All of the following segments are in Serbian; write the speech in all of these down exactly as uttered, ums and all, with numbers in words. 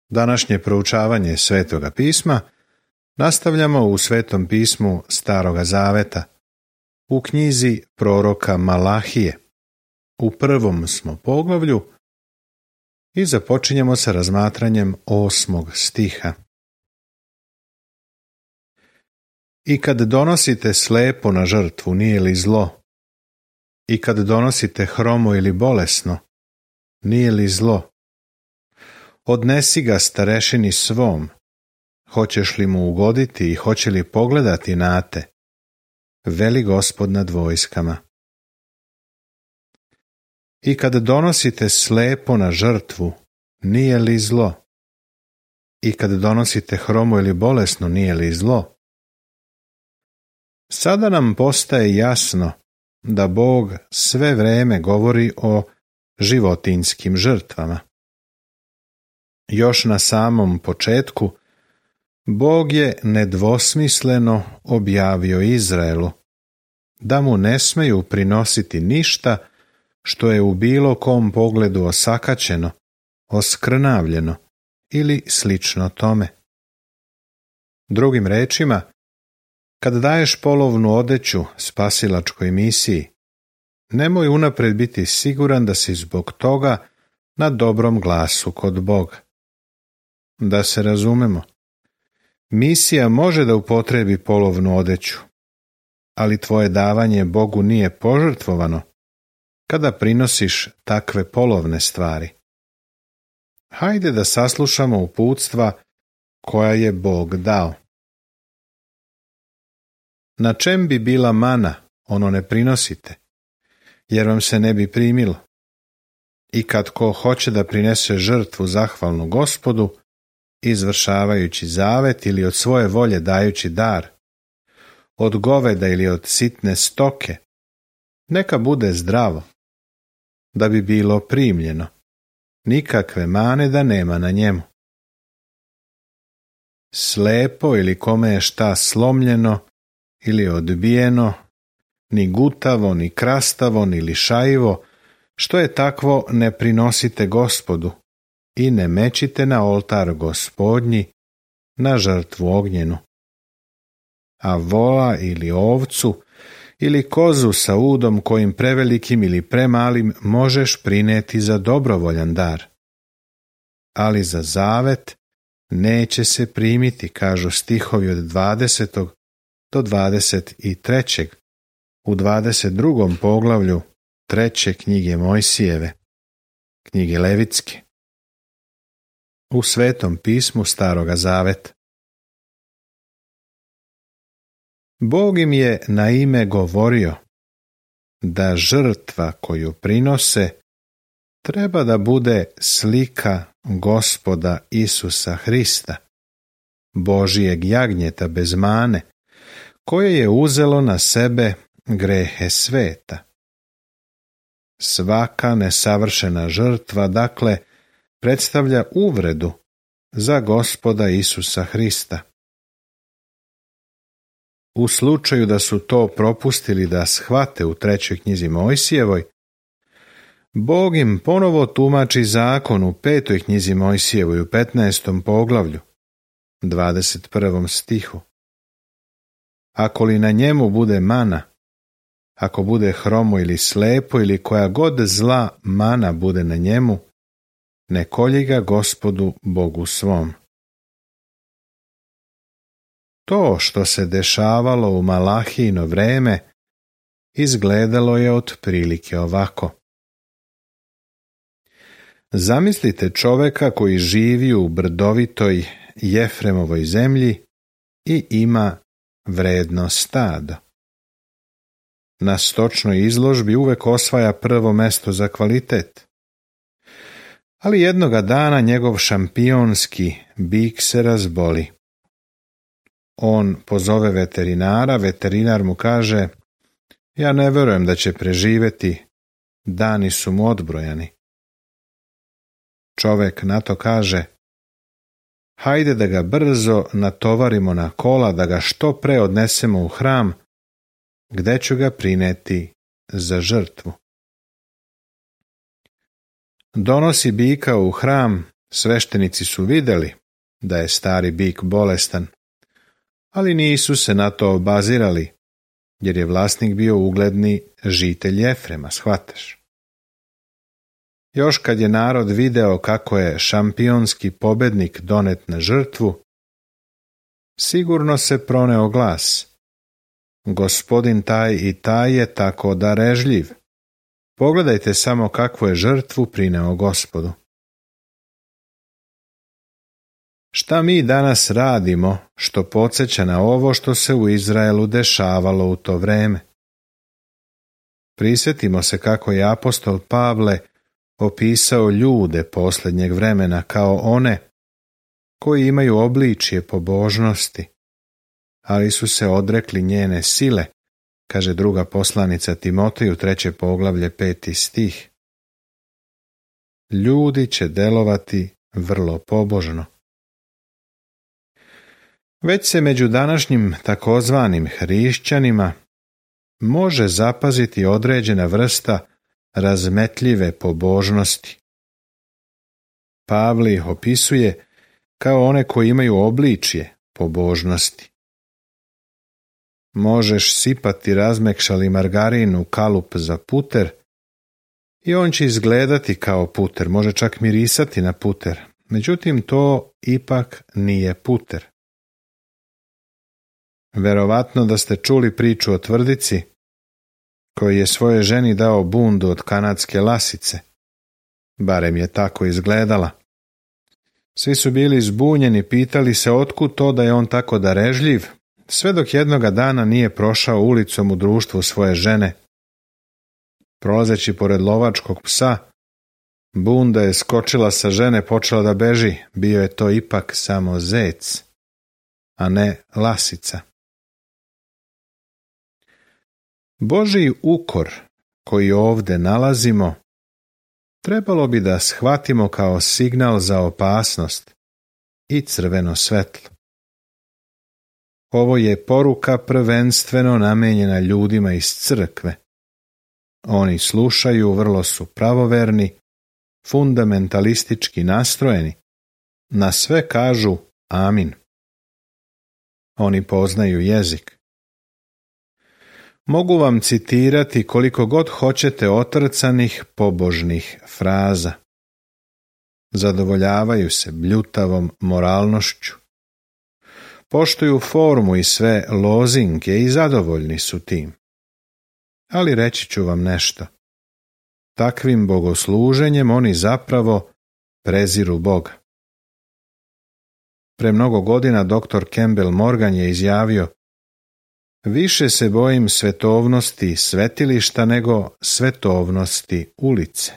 Današnje proučavanje Svetoga pisma nastavljamo u Svetom pismu Staroga zaveta, u knjizi proroka Malahije. U prvom smo poglavlju i započinjemo sa razmatranjem osmog stiha. I kad donosite slepo na žrtvu, nije li zlo? I kad donosite hromo ili bolesno, nije li zlo? Odnesi ga starešini svom, hoćeš li mu ugoditi i hoće li pogledati na te, veli Gospod nad vojskama. I kad donosite slepo na žrtvu, nije li zlo? I kad donosite hromo ili bolesno, nije li zlo? Sada nam postaje jasno da Bog sve vreme govori o životinjskim žrtvama. Još na samom početku, Bog je nedvosmisleno objavio Izraelu da mu ne smeju prinositi ništa što je u bilo kom pogledu osakaćeno, oskrnavljeno ili slično tome. Drugim rečima, kad daješ polovnu odeću spasilačkoj misiji, nemoj unapred biti siguran da si zbog toga na dobrom glasu kod Boga. Da se razumemo, misija može da upotrebi polovnu odeću, ali tvoje davanje Bogu nije požrtvovano kada prinosiš takve polovne stvari. Hajde da saslušamo uputstva koja je Bog dao. Na čem bi bila mana, ono ne prinosite, jer vam se ne bi primilo. I kad ko hoće da prinese žrtvu zahvalnu Gospodu, izvršavajući zavet ili od svoje volje dajući dar, od goveda ili od sitne stoke, neka bude zdravo, da bi bilo primljeno, nikakve mane da nema na njemu. Slepo ili kome je šta slomljeno ili odbijeno, ni gutavo, ni krastavo, ni lišajivo, što je takvo ne prinosite Gospodu i ne mečite na oltar Gospodnji, na žrtvu ognjenu. A vola ili ovcu ili kozu sa udom kojim prevelikim ili premalim možeš prineti za dobrovoljan dar. Ali za zavet neće se primiti, kažu stihovi od dvadesetog do dvadeset trećeg u dvadeset drugom poglavlju treće knjige Mojsijeve, knjige Levitske. U Svetom pismu Staroga zaveta. Bog im je na ime govorio da žrtva koju prinose treba da bude slika Gospoda Isusa Hrista, Božijeg jagnjeta bez mane, koje je uzelo na sebe grehe sveta. Svaka nesavršena žrtva, dakle, predstavlja uvredu za Gospoda Isusa Hrista. U slučaju da su to propustili da shvate u trećoj knjizi Mojsijevoj, Bog im ponovo tumači zakon u petoj knjizi Mojsijevoj u petnaestom poglavlju, dvadeset prvom stihu. Ako li na njemu bude mana, ako bude hromo ili slepo ili koja god zla mana bude na njemu, ne kolji ga Gospodu Bogu svom. To što se dešavalo u Malahijino vreme izgledalo je otprilike ovako. Zamislite čoveka koji živi u brdovitoj Jefremovoj zemlji i ima vredno stado. Na stočnoj izložbi uvek osvaja prvo mesto za kvalitet. Ali jednoga dana njegov šampionski bik se razboli. On pozove veterinara, veterinar mu kaže: ja ne verujem da će preživeti, dani su mu odbrojani. Čovek na to kaže: hajde da ga brzo natovarimo na kola, da ga što pre odnesemo u hram, gde ću ga prineti za žrtvu. Donosi bika u hram Sveštenici su vidjeli da je stari bik bolestan, ali nisu se na to obazirali, jer je vlasnik bio ugledni žitelj Efrema, shvataš. Još kad je narod video kako je šampionski pobednik donet na žrtvu, sigurno se proneo glas: Gospodin taj i taj je tako darežljiv. Pogledajte samo kakvu je žrtvu prineo Gospodu. Šta mi danas radimo što podsjeća na ovo što se u Izraelu dešavalo u to vreme? Prisjetimo se kako je apostol Pavle opisao ljude posljednjeg vremena kao one koji imaju obličje pobožnosti, ali su se odrekli njene sile, kaže druga poslanica Timoteju, treće poglavlje, peti stih. Ljudi će delovati vrlo pobožno. Već se među današnjim takozvanim hrišćanima može zapaziti određena vrsta razmetljive pobožnosti. Pavle ih opisuje kao one koji imaju obličje pobožnosti. Možeš sipati razmekšali margarin u kalup za puter i on će izgledati kao puter, može čak mirisati na puter, međutim to ipak nije puter. Verovatno da ste čuli priču o tvrdici koji je svojoj ženi dao bundu od kanadske lasice. Barem je tako izgledala. Svi su bili zbunjeni, pitali se otkud to da je on tako darežljiv, sve dok jednoga dana nije prošao ulicom u društvu svoje žene. Prolazeći pored lovačkog psa, bunda je skočila sa žene, počela da beži, bio je to ipak samo zec, a ne lasica. Božji ukor koji ovdje nalazimo trebalo bi da shvatimo kao signal za opasnost i crveno svetlo. Ovo je poruka prvenstveno namijenjena ljudima iz crkve. Oni slušaju, vrlo su pravoverni, fundamentalistički nastrojeni, na sve kažu amin. Oni poznaju jezik. Mogu vam citirati koliko god hoćete otrcanih pobožnih fraza. Zadovoljavaju se bljutavom moralnošću. Poštuju formu i sve lozinke i zadovoljni su tim. Ali reći ću vam nešto. Takvim bogosluženjem oni zapravo preziru Boga. Pre mnogo godina doktor Campbell Morgan je izjavio: više se bojim svetovnosti svetilišta nego svetovnosti ulice.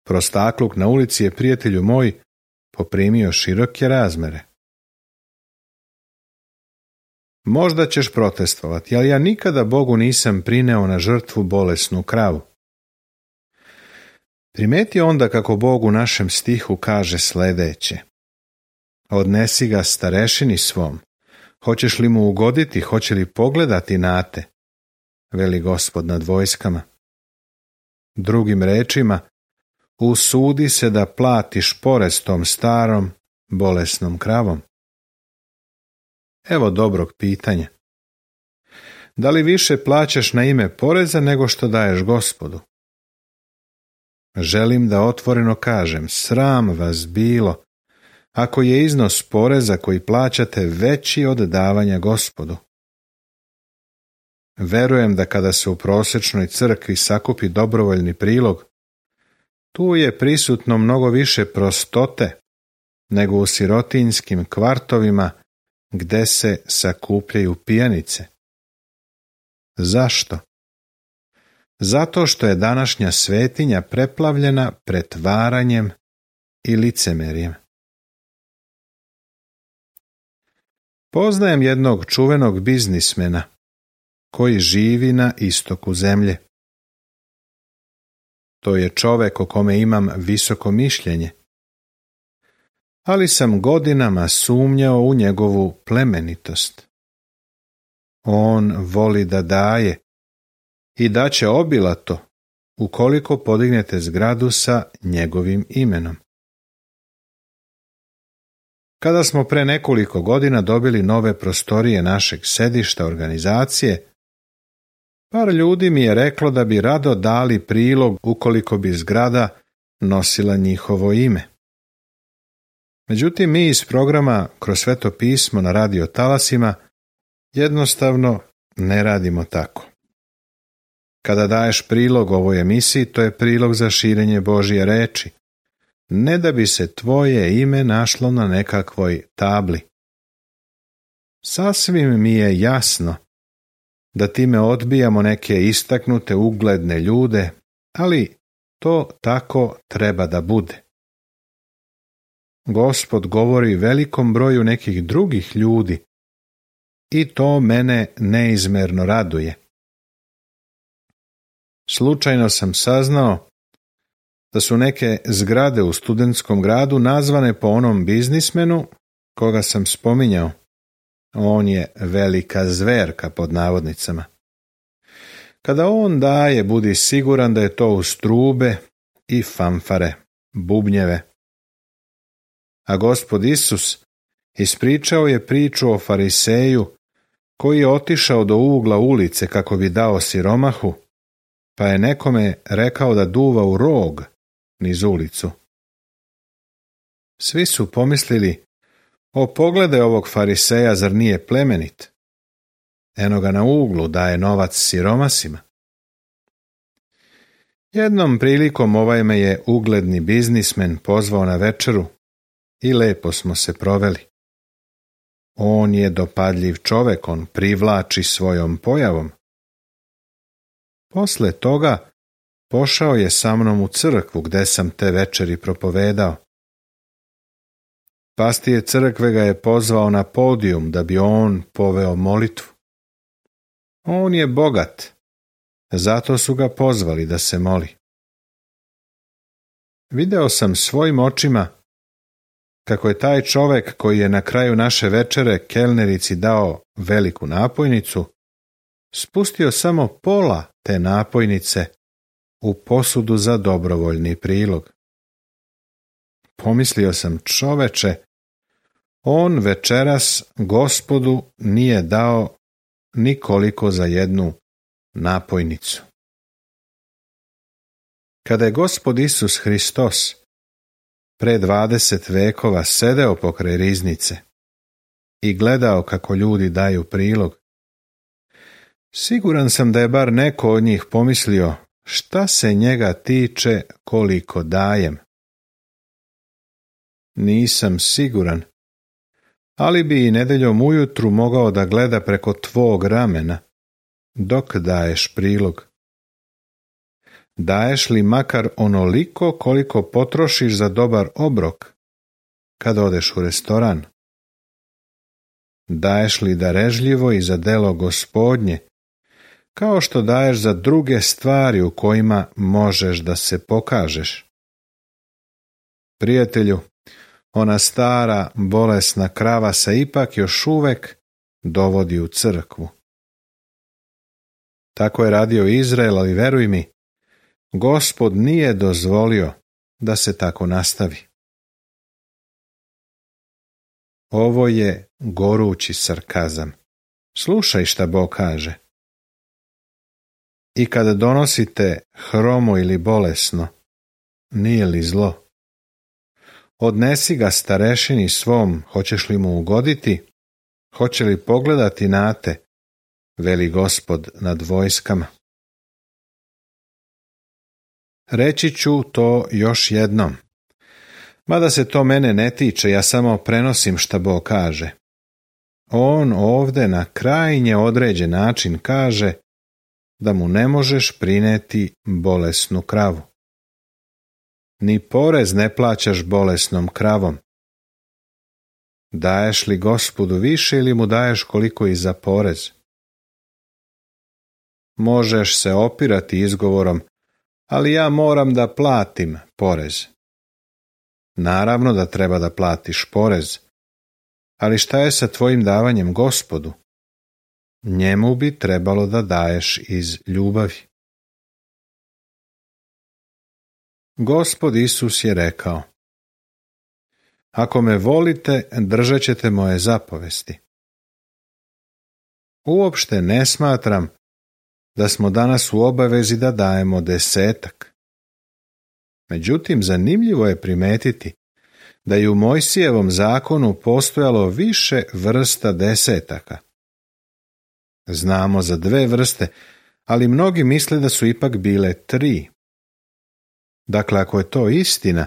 Prostakluk na ulici je, prijatelju moj, poprimio široke razmere. Možda ćeš protestovati, ali ja nikada Bogu nisam prineo na žrtvu bolesnu kravu. Primeti onda kako Bog u našem stihu kaže sljedeće: odnesi ga starešini svom. Hoćeš li mu ugoditi, hoće li pogledati na te, veli Gospod nad vojskama. Drugim rečima, usudi se da platiš porez tom starom, bolesnom kravom. Evo dobrog pitanja. Da li više plaćaš na ime poreza nego što daješ Gospodu? Želim da otvoreno kažem, sram vas bilo ako je iznos poreza koji plaćate veći od davanja Gospodu. Verujem da kada se u prosječnoj crkvi sakupi dobrovoljni prilog, tu je prisutno mnogo više prostote nego u sirotinjskim kvartovima gde se sakupljaju pijanice. Zašto? Zato što je današnja svetinja preplavljena pretvaranjem i licemerjem. Poznajem jednog čuvenog biznismena koji živi na istoku zemlje. To je čovek o kome imam visoko mišljenje, ali sam godinama sumnjao u njegovu plemenitost. On voli da daje i daće obilato ukoliko podignete zgradu sa njegovim imenom. Kada smo pre nekoliko godina dobili nove prostorije našeg sedišta organizacije, par ljudi mi je reklo da bi rado dali prilog ukoliko bi zgrada nosila njihovo ime. Međutim, mi iz programa Kroz Sveto pismo na radio talasima jednostavno ne radimo tako. Kada daješ prilog ovoj emisiji, to je prilog za širenje Božje reči, ne da bi se tvoje ime našlo na nekakvoj tabli. Sasvim mi je jasno da time odbijamo neke istaknute ugledne ljude, ali to tako treba da bude. Gospod govori velikom broju nekih drugih ljudi i to mene neizmerno raduje. Slučajno sam saznao da su neke zgrade u studentskom gradu nazvane po onom biznismenu koga sam spominjao. On je velika zverka pod navodnicama. Kada on daje, budi siguran da je to uz trube i fanfare, bubnjeve. A Gospod Isus ispričao je priču o fariseju koji je otišao do ugla ulice kako bi dao siromahu, pa je nekome rekao da duva u rog niz ulicu. Svi su pomislili: o, pogledaj ovog fariseja, zar nije plemenit? Eno ga na uglu daje novac siromasima. Jednom prilikom ovaj me je ugledni biznismen pozvao na večeru i lepo smo se proveli. On je dopadljiv čovek, on privlači svojom pojavom. Posle toga pošao je sa mnom u crkvu gde sam te večeri propovedao. Pastir crkve ga je pozvao na podijum da bi on poveo molitvu. On je bogat, zato su ga pozvali da se moli. Video sam svojim očima kako je taj čovek koji je na kraju naše večere kelnerici dao veliku napojnicu, spustio samo pola te napojnice u posudu za dobrovoljni prilog. Pomislio sam: čoveče, on večeras Gospodu nije dao nikoliko za jednu napojnicu. Kada je Gospod Isus Hristos pre dvadeset vekova sedeo pokraj riznice i gledao kako ljudi daju prilog, siguran sam da je bar neko od njih pomislio: šta se njega tiče koliko dajem? Nisam siguran, ali bi i nedeljom ujutru mogao da gleda preko tvog ramena dok daješ prilog. Daješ li makar onoliko koliko potrošiš za dobar obrok kad odeš u restoran? Daješ li darežljivo i za delo Gospodnje, kao što daješ za druge stvari u kojima možeš da se pokažeš? Prijatelju, ona stara bolesna krava se ipak još uvek dovodi u crkvu. Tako je radio Izrael, ali veruj mi, Gospod nije dozvolio da se tako nastavi. Ovo je gorući sarkazam. Slušaj šta Bog kaže. I kada donosite hromo ili bolesno, nije li zlo? Odnesi ga starešini svom, hoćeš li mu ugoditi? Hoće li pogledati na te, veli Gospod nad vojskama. Reći ću to još jednom. Mada se to mene ne tiče, ja samo prenosim šta Bog kaže. On ovde na krajnje određen način kaže da mu ne možeš prineti bolesnu kravu. Ni porez ne plaćaš bolesnom kravom. Daješ li Gospodu više ili mu daješ koliko i za porez? Možeš se opirati izgovorom: ali ja moram da platim porez. Naravno da treba da platiš porez, ali šta je sa tvojim davanjem Gospodu? Njemu bi trebalo da daješ iz ljubavi. Gospod Isus je rekao: Ako me volite, držat ćete moje zapovesti. Uopšte ne smatram da smo danas u obavezi da dajemo desetak. Međutim, zanimljivo je primetiti da je u Mojsijevom zakonu postojalo više vrsta desetaka. Znamo za dve vrste, ali mnogi misle da su ipak bile tri. Dakle, ako je to istina,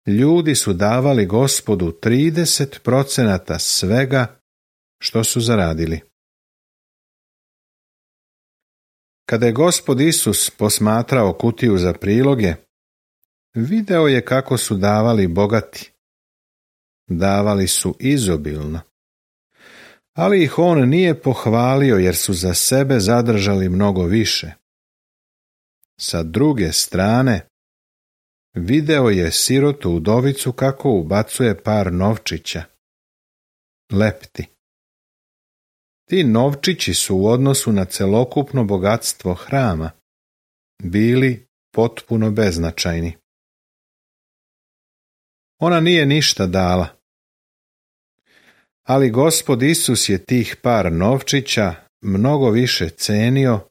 ljudi su davali Gospodu trideset procenata svega što su zaradili. Kada je Gospod Isus posmatrao kutiju za priloge, video je kako su davali bogati. Davali su izobilno. Ali ih on nije pohvalio jer su za sebe zadržali mnogo više. Sa druge strane, video je sirotu udovicu kako ubacuje par novčića. Lepti. Ti novčići su u odnosu na celokupno bogatstvo hrama bili potpuno beznačajni. Ona nije ništa dala. Ali Gospod Isus je tih par novčića mnogo više cenio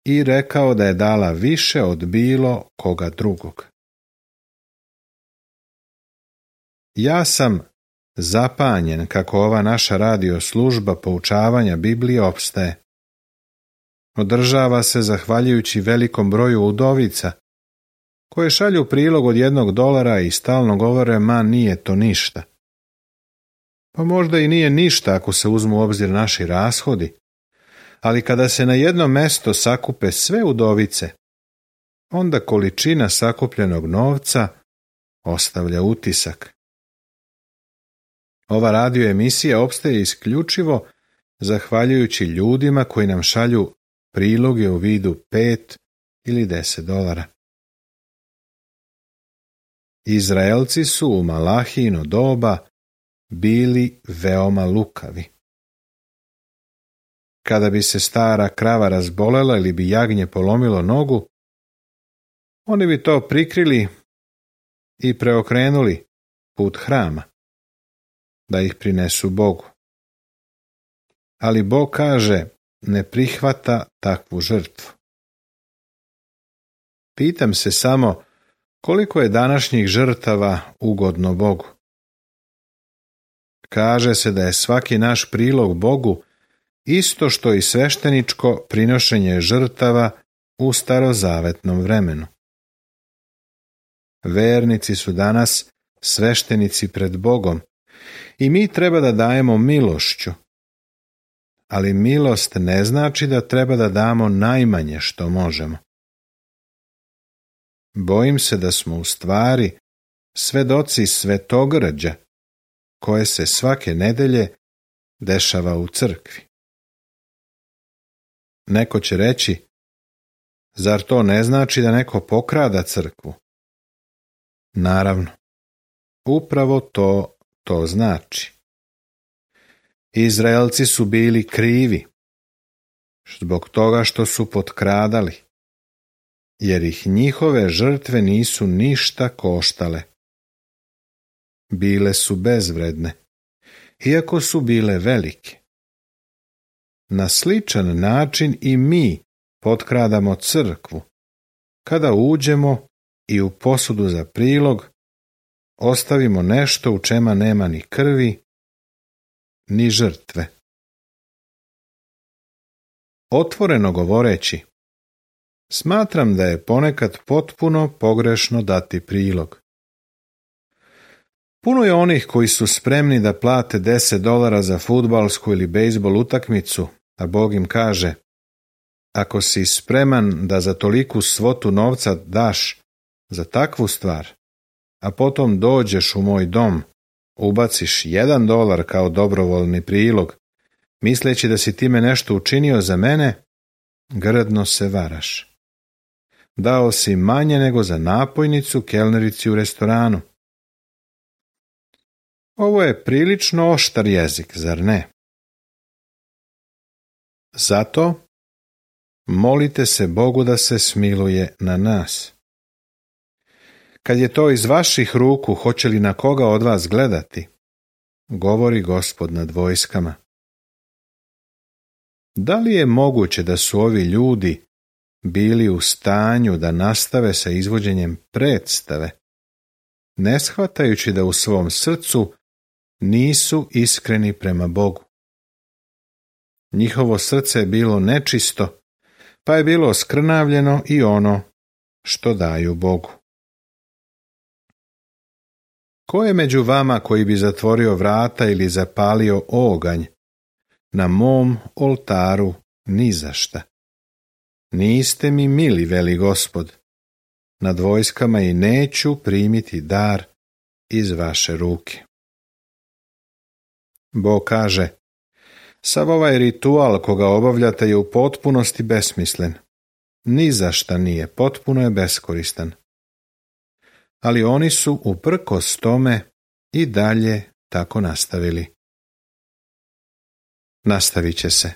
i rekao da je dala više od bilo koga drugog. Ja sam zapanjen kako ova naša radio služba poučavanja Biblije opstaje. Održava se zahvaljujući velikom broju udovica, koje šalju prilog od jednog dolara i stalno govore, ma nije to ništa. Pa možda i nije ništa ako se uzmu u obzir naši rashodi, ali kada se na jedno mesto sakupe sve udovice, onda količina sakupljenog novca ostavlja utisak. Ova radio emisija opstaje isključivo zahvaljujući ljudima koji nam šalju priloge u vidu pet ili deset dolara. Izraelci su u Malahijino doba bili veoma lukavi. Kada bi se stara krava razbolela ili bi jagnje polomilo nogu, oni bi to prikrili i preokrenuli put hrama, da ih prinesu Bogu. Ali Bog kaže, ne prihvata takvu žrtvu. Pitam se samo, koliko je današnjih žrtava ugodno Bogu? Kaže se da je svaki naš prilog Bogu isto što i svešteničko prinošenje žrtava u starozavetnom vremenu. Vernici su danas sveštenici pred Bogom i mi treba da dajemo milošću. Ali milost ne znači da treba da damo najmanje što možemo. Bojim se da smo u stvari svedoci svetogrđa koje se svake nedelje dešava u crkvi. Neko će reći, zar to ne znači da neko pokrada crkvu? Naravno, upravo to to znači. Izraelci su bili krivi zbog toga što su potkradali, jer ih njihove žrtve nisu ništa koštale. Bile su bezvredne, iako su bile velike. Na sličan način i mi potkradamo crkvu, kada uđemo i u posudu za prilog ostavimo nešto u čemu nema ni krvi, ni žrtve. Otvoreno govoreći, smatram da je ponekad potpuno pogrešno dati prilog. Puno je onih koji su spremni da plate deset dolara za fudbalsku ili bejzbol utakmicu, a Bog im kaže, ako si spreman da za toliku svotu novca daš za takvu stvar, a potom dođeš u moj dom, ubaciš jedan dolar kao dobrovoljni prilog, misleći da si time nešto učinio za mene, grdno se varaš. Dao si manje nego za napojnicu kelnerici u restoranu. Ovo je prilično oštar jezik, zar ne? Zato molite se Bogu da se smiluje na nas. Kad je to iz vaših ruku, hoće li na koga od vas gledati? Govori Gospod nad vojskama. Da li je moguće da su ovi ljudi bili u stanju da nastave sa izvođenjem predstave, ne shvatajući da u svom srcu nisu iskreni prema Bogu? Njihovo srce je bilo nečisto, pa je bilo skrnavljeno i ono što daju Bogu. Ko je među vama koji bi zatvorio vrata ili zapalio oganj na mom oltaru ni za šta? Niste mi mili, veli Gospod, nad vojskama i neću primiti dar iz vaše ruke. Bog kaže, sav ovaj ritual koga obavljate je u potpunosti besmislen. Ni za šta nije, potpuno je beskoristan. Ali oni su uprkos tome i dalje tako nastavili. Nastavit će se.